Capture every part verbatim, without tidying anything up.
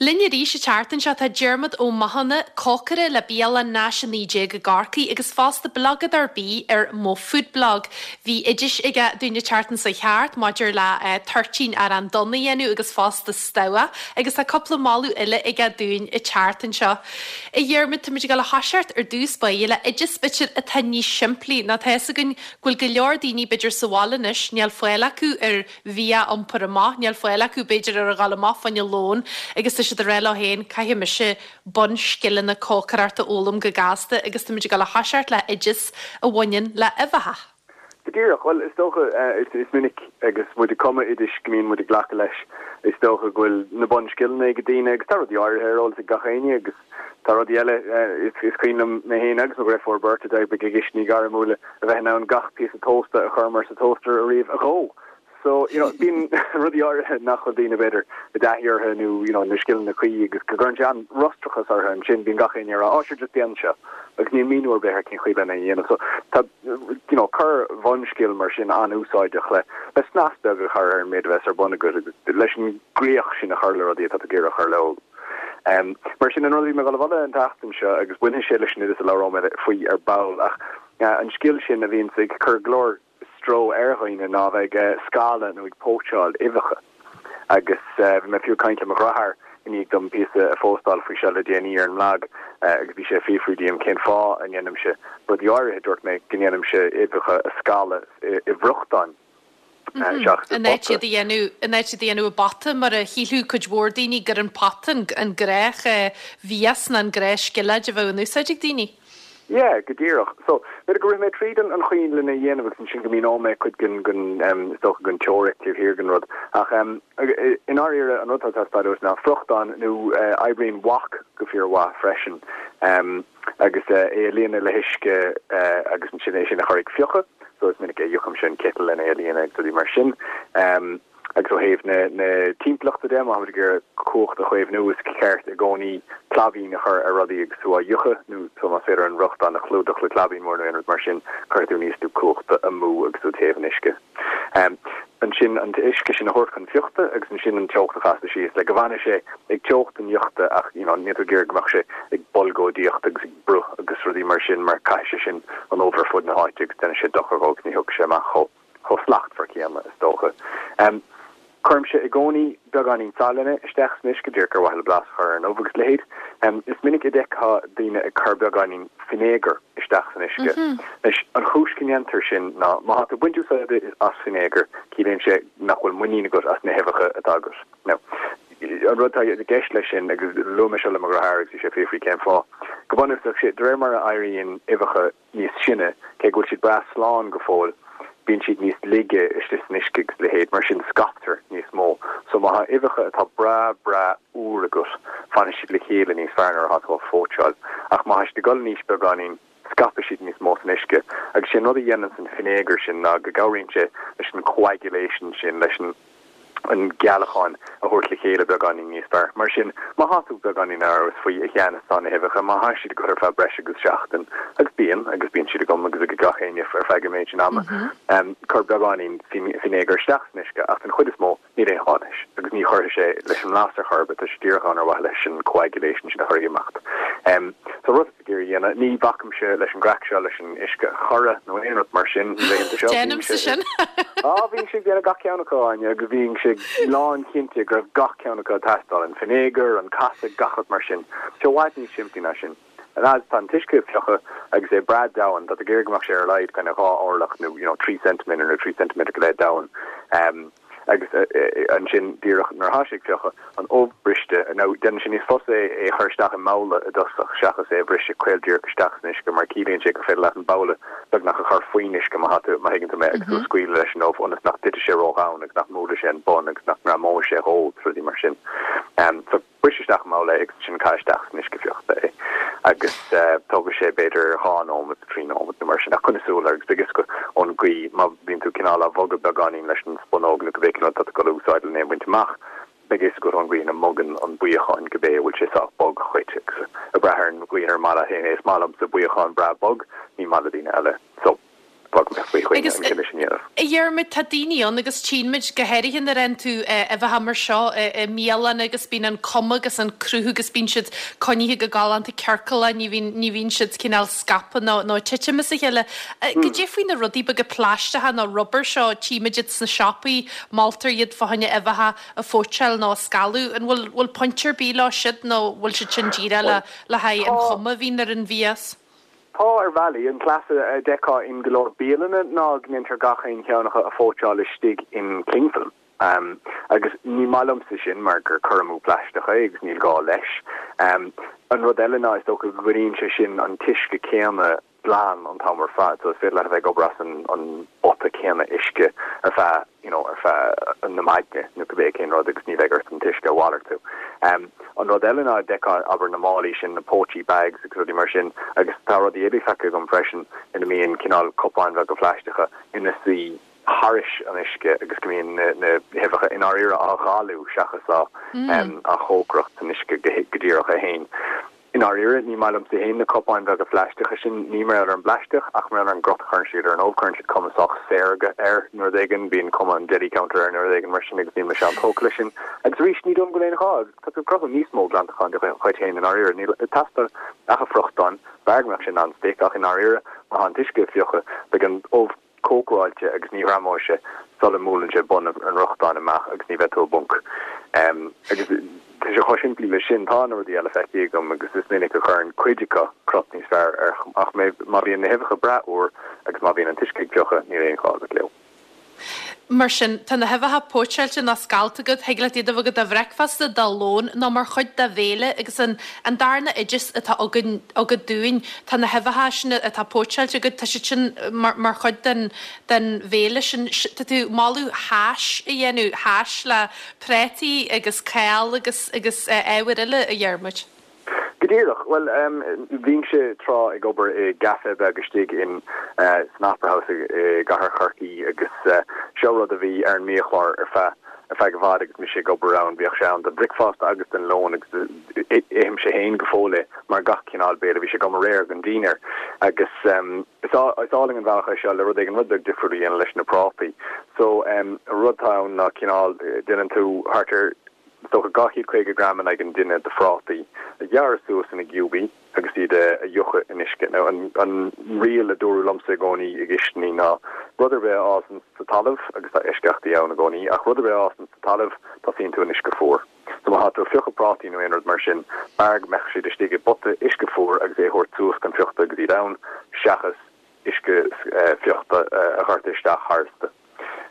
Linn arís an tseachtain seo tá Diarmuid Ó Mathúna, cócaire le bialann Nash a naoi déag i gCorcaigh agus fosta blagadóir bídh ar Mo Food Blog. Bhí oideas aige dúinn an tseachtain seo thart maidir le uh, toirtín arán donn a dhéanamh agus fosta stogha agus tá cúpla moladh eile aige dúinn an tseachtain seo. A Dhiarmuid táimid ag dul a thoiseacht ar dtús báire le oideas b'fhéidir atá níos simplí ná tá againn go bhfuil go leor daoine b'fhéidir sa bhaile anois níl fáil acu ar bhia iompar amach, níl fáil acu b'fhéidir ar a ghabháil amach fá choinne lón agus tá siad ag rá leo féin caithfidh mise bunscileanna cócaireachta a fhoghlaim go gasta agus táimid ag dul a thoiseacht le oideas a bhaineann le uibheacha. Go díreach well is dócha uh, is, is minic agus muid ag cumadh oidis go mbíonn muid ag glacadh leis is dócha go bhfuil na bunscileanna ag daoine agus tá rudaí áirithe ar eolas ag gach éinne agus tá rudaí eile uh, is, is cuimhin liom mé féin agus mo dheirfiúr beirt a d'oibrigh i gcistiní gairmiúla a bheith in ann gach píosa tósta a chur mar sa toaster a riamh a dhó. So you know bíonn rudaí áirithe nach bhfuil daoine b'fhéidir i dtaithí orthu nó you know na scileanna cuí agus go gcuireann sé an frustrachas orthu ansin bíonn gach éinne rá á sure just déan seo agus níl míniú ar bith ar cén chaoi lena dhéanamh so tá you know cur bhunscil mar sin an-úsáideach le le snas beag a chur ar an méid a bheas ar bun agat agus leis an gcríoch sin a chur le rudaí atá ag iarraidh a chur leo. Um, mar sin an rud me go an tseachtain seo agus bainfidh sé leis an oideas a labhróidh mé faoi ar ball ach uh, an scil sin a bhíonn ag cur go leor stró ar dhaoine ná bheith ag scalladh nó ag póitseáil uibheacha. Agus uh, bhí mé fiú ag caint le mo dheartháir i ndiaidh dom píosa a phóstáil faoi seo le déanaí ar an mblag uh, agus bhí sé ag fiafraí díom cén fáth a ndéanaimse rudaí áirithe dúirt mé go ndéanaimse uibheacha a scalladh i, i bhfriochtán. In áit iad a dhéanamh in áit iad a dhéanamh i bpota mar a shílfeadh cuid mhór daoine gur an pota an gnách mhias ná an gnáthscilléid a bheadh in úsáid ag daoine. Yeah, go díreach. So b'fhéidir go raibh mé tríd an an chaoi lena dhéanamh agus sin go míneoidh mé cuid den den um, is dócha den teoiric taobh thiar den rud. Ach um, in áirithe an rud atá ná friochtán nó uh, oibríonn wok go fíormhaith freisin. Um, agus uh, é a líonadh le huisce uh, agus sin é sin a chur ag fiuchadh, so is minic a fhiuchaim sin citeal lena é a líonadh agus mar sin. Um, agus ó thaobh na na timpeallachta de má gur cumhacht a chaomhnú is ceart i gcónaí claibín a chur ar rudaí agus tú á fhiuchadh nó tú más féidir an fhriochtán a chlúdach le claibín mór nó aon rud mar sin cuirfidh tú níos lú cumhachta amú agus tú ag téamh an uisce. Um, ansin an t-uisce sin a thabhairt chun fiuchta agus ansin an teocht a chasadh síos le go bhfanfaidh sé ag teocht an fhiuchta ach you know, níl tú ag iarraidh go mbeadh sé ag bolgóidíocht agus ag brú agus rudaí mar sin mar caithfidh sé sin an ubh ar fud na háite agus déanfaidh sé dochar dhó ní thiocfaidh sé amach chomh chomh slachtmhar céanna is dócha. Um, Cuirimse i gcónaí beagáinín salainn isteach san uisce díreach ar mhaithe le blas chur ar an ubh agus leithéid. Um, is minic a d'fheicfeá daoine ag cur beagáinín fínéagar isteach san uisce. Mm -hmm. Anois an chúis go ndéantar sin ná má tá tú ag baint úsáid as fínéagar ciallaíonn sé nach bhfuil muinín agat as na huibheacha atá agat. Now, an rud atá i gceist leis sin agus luaigh mé seo le mo dheartháir agus bhí sé ag fiafraí cén fáth. Go bunúsach sé de réir mar a éiríonn uibheacha níos sine cé go bhfuil siad breá slán go fóill bíonn siad níos laige istigh san uisce agus leithéid mar sin scaiptear níos mó. So má tá uibheacha atá breá breá úr agat fanfaidh siad le chéile níos fearr nuair atá tú á phóitseáil. Ach má tá siad ag dul in aois beagáinín scaipfidh siad níos mó san uisce. Agus sin rud a dhéanann an fínéagar sin ná go gcabhraíonn sé leis an coagulation sin leis an an gealacháin a thabhairt le chéile beagáinín níos fearr. Mar sin má tá tú beagáinín amhrasach faoi a cheannas tá na huibheacha má tá siad agat ar feadh breis agus seachtain agus bíonn agus bíonn siad agam agus ag gach éinne ar feadh an méid sin ama. Um, cur beagáinín fínéagar isteach san uisce ach an chuid is mó níl aon ghá leis agus ní chuirfidh sé leis an mblas ar chor ar bith tá sé díreach ann ar mhaithe leis an coagulation sin a chur ag imeacht. Um, so rud gur dhéana ní bhacaimse leis an gcraic seo leis an uisce chorra nó aon rud mar sin Déanaimse sin. Á bhí sé déanamh gach ceann acu Áine agus bhí sé lánchinnte go raibh gach ceann acu ag teastáil an fínéagar an casadh gach rud mar sin. Sé i bhfad níos simplí ná sin. An fhad tá an t-uisce ag fiuchadh agus é breá domhain tá tú ag iarraidh go mbeadh sé ar a laghad kind of dhá orlach nó you know, trí centimeter nó trí centimeter go leith domhain. Um, agus ansin díreach nuair atá sé ag fiuchadh an ubh briste nó déanann sé níos fusa é é chur isteach i mbabhla i dtosach seachas é briseadh caol díreach isteach san uisce mar ciallaíonn sé gur féidir leat an babhla beagnach a chur faoin uisce má tá má thuigeann tú mé agus tú ag scaoileadh leis an ubh ionas nach dtitfidh sé ródhomhain agus nach mbuailfidh sé an bun agus nach ngreamóidh sé dhó rudaí mar sin. Um, so bris isteach i mbabhla agus sin caith isteach san uisce fiuchta é. Agus uh, tógfaidh sé b'fhéidir dhá nóiméad trí nóiméad nó mar sin ach coinnigh súil air agus beidh a fhios agat ón gcaoi má bhíonn tú cineál á bhogadh beagáinín leis an spunóg nó cibé cén rud atá tú ag úsáid lena bhaint amach. Beidh a fhios agat ón gcaoi ina mbogann an buíochán cibé a bhfuil sé sách bog chuit agus ag brath ar an gcaoi ar maith leat féin é is maith liomsa buíochán breá bog ní maith le daoine eile. So bog go mbeadh faoi choinne an cinneadh sin a dhéanamh. A Dhiarmaid, tá daoine ann agus tchíonn muid go háirithe nuair a fhaigheann tú uibheacha mar seo i mbialanna agus bíonn an cuma agus an cruth agus bíonn siad coinnithe go galánta ciorclach, ní bhíonn ní bhíonn siad cineál scaipthe nó nó ag titim as a chéile. Goidé faoi na rudaí beaga plaisteacha nó rubair seo, tchímid iad sna siopaí, moltar iad fá choinne uibheacha a phóitseáil nó a scalladh. An bhfuil bhfuil point ar bith leo siúd nó bhfuil siad sin díreach le le haghaidh an chuma a bhíonn ar an mhias? Tá, ar bhealaí. An cleas a d'fheicfeá in go leor bialanna ná go ndéantar gach aon cheann acu a phóitseáil istigh in cling film. Agus ní maith liomsa sin mar gur cur amú plaisteach é agus níl gá leis. An rud eile ná is dócha go gcoinníonn sé sin an t-uisce céanna glan an t-am ar fad, so is féidir leat a bheith ag obair as an an bpota céanna uisce ar feadh you know ar feadh na maidne nó cibé cén rud agus ní bheidh ort an t-uisce a mhalartú. Um, an rud eile ná d'fheicfeá abair na málaí sin, na póitsí bags agus rudaí mar sin agus tá rudaí eile feicthe agam freisin ina mbíonn cineál cupáin bheaga phlaisteacha ina suí thairis an uisce agus go mbíonn na na huibheacha i ndáiríre á ghalú seachas á um, á chócaireacht san uisce go, go díreach é féin. I ndáiríre, ní maith liomsa féin na cupáin bheaga phlaisteacha sin, ní mar gheall ar an bplaisteach ach mar gheall ar an gcrot a chuireann siad ar an ubh, cuireann siad cuma sách saorga air nó rud éigin, bíonn cuma an deli counter air nó rud éigin mar sin agus níl mise an-tógtha leis sin. Agus arís, ní dóigh liom go bhfuil aon ghá, agus tá tú ag cruthú níos mó glantacháin do dhuit féin i ndáiríre, níl ag teastáil ach an friochtán, b'fhearr go mbeadh sé non-stick ach i ndáiríre, má tá an t-uisce ag fiuchadh, beidh an ubh cócaráilte agus ní ghreamóidh sé sula mbuaileann sé bun an fhriochtáin amach agus ní bheidh tú i bponc. Agus tá sé chomh simplí leis sin. Tá na rudaí eile feicthe agam agus is minic a chuireann cuid acu crot níos fearr air ach má bhíonn na huibheacha breá úr agus má bhíonn an t-uisce ag fiuchadh níl aon ghá agat leo. Mar sin, tá na huibheacha póitseáilte nó scallta agat, thig leat iad a bheith agat do bhricfeasta, do lón nó mar chuid de bhéile agus an an darna oideas atá againn agat dúinn, tá na huibheacha sin atá póitseáilte agat, tá siad sin mar mar chuid den den bhéile sin. Tá tú ag moladh hash a dhéanamh, hash le prátaí agus cál agus agus ábhair eile, a Dhiarmuid. Go díreach. Bhuel, bhínnse tráth ag obair i gcaife beag istigh in san Opera House i gcathair Chorcaí agus seo rud a bhí ar an mbiachlár ar feadh ar feadh i bhfad agus mise ag obair ann. Bhíodh sé ann don bhricfeasta agus don lón agus ithimse féin go fóill é mar gach cineál béile. Bhí sé agam aréir don dinnéar agus is álainn an bealach é seo le rud éigin rud beag difriúil a dhéanamh leis na prátaí. So an rud atá ann ná cineál déanann tú thart ar Is dócha dhá chéad caoga gram in aghaidh an duine de phrátaí a ghearradh suas ina gciúbaí agus iad a fhiuchadh in uisce. Now, an an riail a dúradh liomsa i gcónaí i gcistiní ná rud ar bith a fhásann sa talamh, agus tá eisceachtaí ann i gcónaí, ach rud ar bith a fhásann sa talamh, tosaíonn tú in uisce fuar. So má tá tú ag fiuchadh prátaí nó aon rud mar sin, b'fhearr go mbeadh siad istigh i bpota uisce fuar agus é a thabhairt suas chun fiuchta agus iad ann, seachas uisce fiuchta a dhoirteadh isteach tharstu.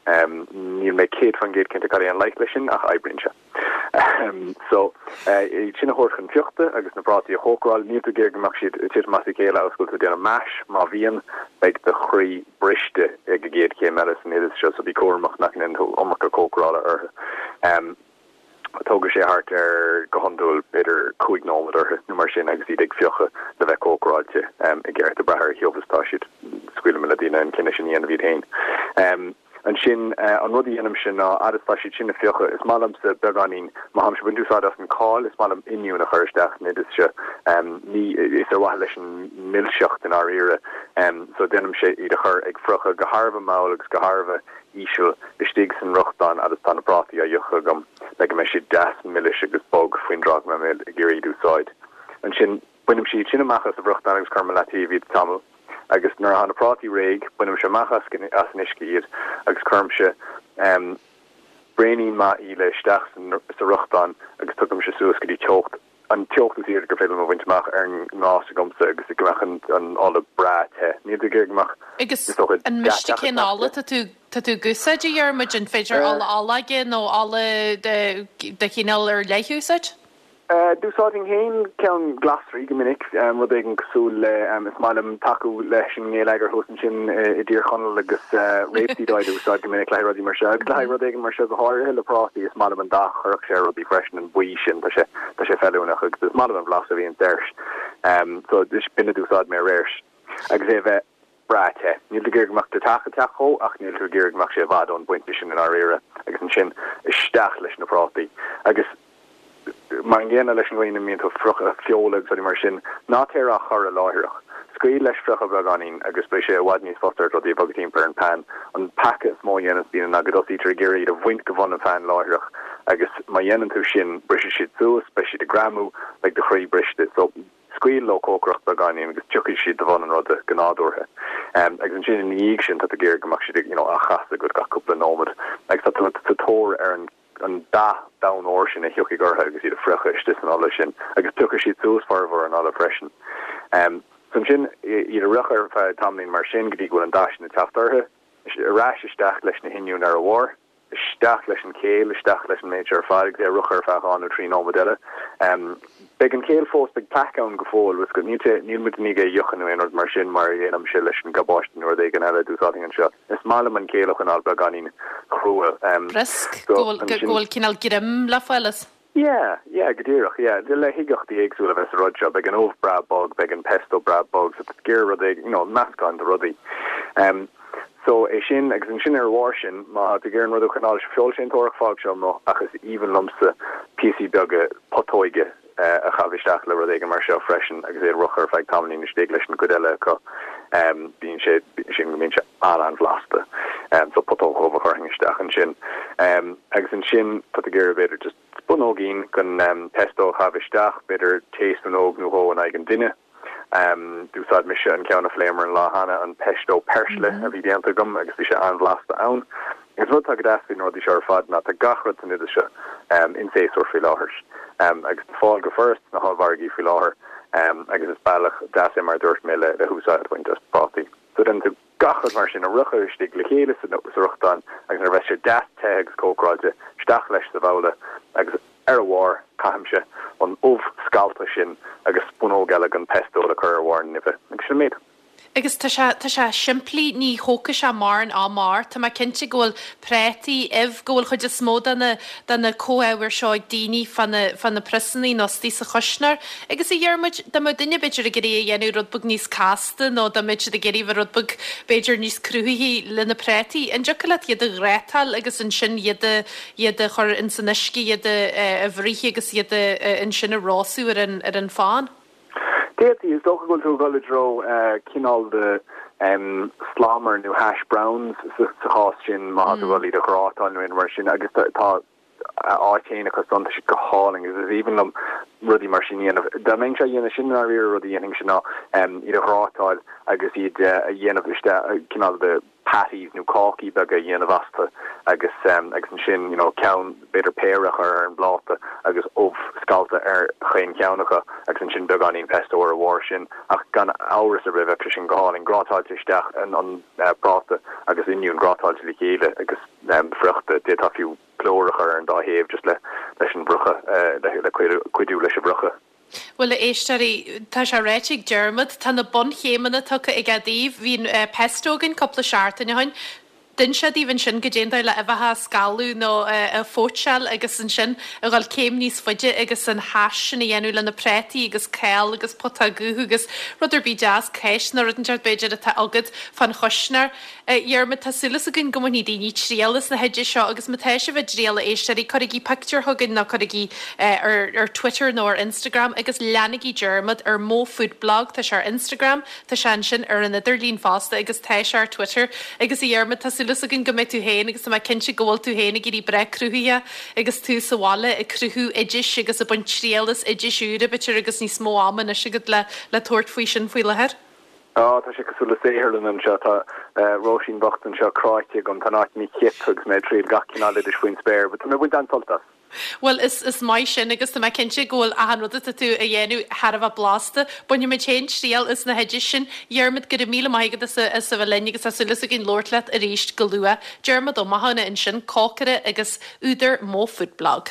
Níl mé céad faoin gcéad cinnte cad é an leigheas leis sin ach oibríonn sé. So, iad sin a thabhairt chun fiuchta agus na prátaí a chócaráil, níl tú ag iarraidh go mbeadh siad ag titim as a chéile agus go bhfuil tú ag déanamh mash, má bhíonn, beidh do chroí briste ag an gcéad chéim eile san oideas seo, so bí cúramach nach ndéanann tú iomarca cócarála orthu. Tógfaidh sé thart ar, go hiondúil, b'fhéidir cúig nóiméad orthu nó mar sin agus iad ag fiuchadh le bheith cócaráilte i gceart, ag brath ar a thiubh is atá siad. Scaoilim le daoine an cinneadh sin a dhéanamh iad féin. Ansin, an rud a dhéanaimse ná, fhad is atá siad sin ag fiuchadh, is maith liomsa beagáinín, má tháimse ag baint úsáid as an cál, is maith liom oinniún a chur isteach san oideas seo. Ní, is ar mhaithe leis an milseacht i ndáiríre. So déanaimse iad a chur ag fiuchadh go thar a bheith mall agus go thar a bheith íseal istigh san fhriochtán fhad is tá na prátaí á fhiuchadh agam le go mbeidh siad deas milis agus bog faoin dtráth go mbeidh mé ag iarraidh iad a úsáid. Ansin, bainimse iad sin amach as an bhfriochtán agus cuirim i leataobh iad tamall agus nuair atá na prátaí réidh, bainimse amach as an uisce iad agus cuirimse braonín maith íle isteach sa fhriochtán agus tugaimse suas go dtí teocht an teocht is airde gur féidir liom a bhaint amach ar an ngás agamsa agus go mbeadh an ola breá te. Níl tú ag iarraidh go mbeadh, Agus is dócha, an miste deatach cén isteach ola te. tá tú tá tú ag úsáid, a Dhiarmuid? An féidir ola olóige nó ola de de chineál ar leith a úsáid? D'úsáidfinn féin ceann glasraí go minic, rud éigin cosúil le, is maith liom tacú leis an ngeilleagar thuas ansin i dTír Chonaill agus rapeseed oil a úsáid go minic le haghaidh rudaí mar seo. Agus le haghaidh rud éigin mar seo go háirithe le prátaí, is maith liom an dath a chuirfeadh sé ar rudaí freisin, an buí sin, tá sé, tá sé feiliúnach agus is maith liom an blas a bhíonn air. So, b'in a d'úsáid mé aréir. Agus é a bheith breá te. Níl tú ag iarraidh go mbeadh do theach ag teacht dhó ach níl tú ag iarraidh go mbeadh sé i bhfad ón bpointe sin i ndáiríre. Agus ansin isteach leis na prátaí. Agus. Mar an gcéanna leis an gcaoi ina mbíonn tú ag friochadh feola agus rudaí mar sin, ná téir á chur láithreach. Scaoil leis friochadh beagáinín agus beidh sé i bhfad níos fusa ort rudaí a bhogadh timpeall ar an pan. An peaca is mó a dhéananns daoine ná go dtosaítear ag iarraidh iad a bhaint de bhun an phain láithreach agus má dhéanann tú sin, brisfidh siad suas, beidh siad ag greamú, beidh do chroí briste. So, scaoil leo cócaireacht beagáinín agus tiocfaidh siad de bhun an ruda go nádúrtha. Agus ansin ina dhiaidh sin tá tú ag iarraidh go mbeadh siad you know á chasadh agat gach cúpla nóiméad agus tá tú sa tóir ar an an dath donn óir sin a thiocfaidh orthu agus iad a friochadh istigh san ola sin agus piocfaidh siad suas formhór an ola freisin. So ansin iad a fhriochadh ar feadh tamaillín mar sin go dtí go bhfuil an dath sin ag teacht orthu, ar ais isteach leis na hoinniúin ar a bharr. Isteach leis an chéill, isteach leis an méid seo ar fad agus é a fhriochadh ar feadh dhá nó trí nóiméad eile. Beidh an chéill fós, beidh plaic ann go fóill, bhfuil 's agat, níl sé, níl muid i ndiaidh é a fhiuchadh nó aon rud mar sin mar a dhéanaimse leis an gcabáiste nó rud éigin eile a d'úsáidfinn anseo. Is maith liom an chéill a choinneáil beagáinín crua. Briosc, go bhfuil, go bhfuil cineál greim le fáil as. Yeah, yeah, go díreach, yeah. Le huigeachtaí éagsúla a bheith sa rud seo, beidh an ubh breá bog, beidh an pesto breá bog, so tá tú ag iarraidh rud éigin, you know, meascán de rudaí. Um, so é sin, agus ansin ar a bharr sin, má tá tú ag iarraidh an rud a choinneáil feoilséantóireach, fág seo amuigh, ach is aoibhinn liomsa píosaí beaga putóige eh, a chaitheamh isteach le rud éigin mar seo freisin agus é a fhriochadh ar feadh tamaillín istigh leis an gcuid eile acu. Um, bíonn sé, sin go mbíonn sé an-an-bhlasta. Um, so putóg dhubh a chuirfinn isteach ansin. Um, agus ansin tá tú ag iarraidh b'fhéidir just Spúnóigín den pesto a chaitheamh isteach, b'fhéidir taespúnóg nó dhó in aghaidh an duine. D'úsáid mise an ceann a phléamar an lá cheana, an pesto peirsile a bhí déanta agam agus bhí sé an-bhlasta ann. Agus rud atá go deas faoi na rudaí seo ar fad ná tá gach rud san oideas seo in séasúr faoi láthair agus le fáil go furast sna hollmhargaí faoi láthair agus is bealach deas é mar a dúirt mé le húsáid a bhaint as prátaí. So déanann tú gach rud mar sin a fhriochadh istigh le chéile sa fhriochtán agus nuair a bheas sé deas te agus cócaráilte, isteach leis sa bhabhla agus ar a bharr caithimse an ubh scallta sin agus spúnóg eile den pesto le cur ar bharr na n-uibhe agus sin an méid. Agus tá sé, tá sé simplí, ní thógfaidh sé mórán ama ort. Tá mé cinnte go bhfuil prátaí, ubh, go bhfuil chuid is mó de na, de na comhábhair seo ag daoine fá na, fá na priosannaí nó istigh sa chuisneoir. Agus a Dhiarmuid, dá mbeadh duine b'fhéidir ag iarraidh a dhéanamh rud beag níos casta nó dá mbeadh siad ag iarraidh bheith rud beag b'fhéidir níos cruthaithí le na prátaí, an dtiocfadh leat iad a ghrátáil agus ansin iad a, iad a chur ins an uisce, iad a, a bhruith agus iad a, ansin a róstadh ar an, ar an phan? D'fhéadfaí, is dócha go bhfuil tú ag dul i dtreo cineál de slammer nó hash browns sa chás sin má tá tú ag dul iad a ghrátáil nó aon rud mar sin agus tá a áit féin acu san, tá siad go hálainn agus is aoibhinn liom rudaí mar sin a dhéanamh. Dá mbeinnse á dhéanamh sin i ndáiríre rud a dhéanfainnse ná iad a ghrátáil agus iad a dhéanamh isteach cineál de patties nó cácaí beaga a dhéanamh astu agus agus ansin you know ceann b'fhéidir péire a chur ar an bpláta agus ubh scallta ar chaon cheann acu agus ansin beagáinín pesto ar a bharr sin ach gan amhras ar bith bheadh sé sin go hálainn grátáilte isteach an an práta agus oinniún grátáilte le chéile agus friochta d'fhéadfá fiú plúr a chur ar an dá thaobh just le leis an bhfriochadh le le cuidiú leis an bhfriochadh. Bhuel, a éisteoirí, tá sé ráite ag Diarmuid, tá na bunchéimeanna tugtha aige daoibh. Bhí an pesto againn cúpla seachtain ó shin. D'inis sé daoibh ansin goidé an dóigh le uibheacha a scalladh nó a phóitseáil agus ansin a dhul céim níos faide agus an hash sin a dhéanamh le na prátaí agus cál agus putóg dhubh agus rud ar bith deas, cáis nó rud inteacht b'fhéidir atá agat fán chuisneoir. A Dhiarmuid, tá súil againn go mbainfidh daoine triail as na hoidis seo agus má tá sibh á dtriail a éisteoirí, cuirigí pictiúr chugainn nó cuirigí ar ar Twitter nó ar Instagram agus leanaigí Diarmuid ar Mo Food Blog, tá sé ar Instagram, tá sé ansin ar an idirlíon fosta agus tá sé ar Twitter. Agus a Dhiarmuid, tá súil againn go mbeidh tú féin agus tá mé cinnte go bhfuil tú féin ag éirí breá cruthaitheach agus tú sa bhaile ag cruthú oidis agus ag baint triail as oidis úra b'fhéidir agus níos mó ama anois agat le le tabhairt faoi sin faoi láthair. Á, tá sé cosúil le saotharlann anseo. Tá Róisín bhocht anseo cráite agam. Tá an áit ina chip agus mé ag triail gach cineál oidis faoin spéir, but tá mé ag baint an-sult as. Bhuel, is is maith sin agus tá mé cinnte go bhfuil achan rud atá tú a dhéanamh thar a bheith blasta. Bainfidh muid féin triail as na hoidis sin. Diarmuid, go raibh míle maith agat as a as a bheith linn agus tá súil againn labhairt leat arís go luath. Diarmuid Ó Mathúna ansin, cócaire agus údar Mo Food Blog.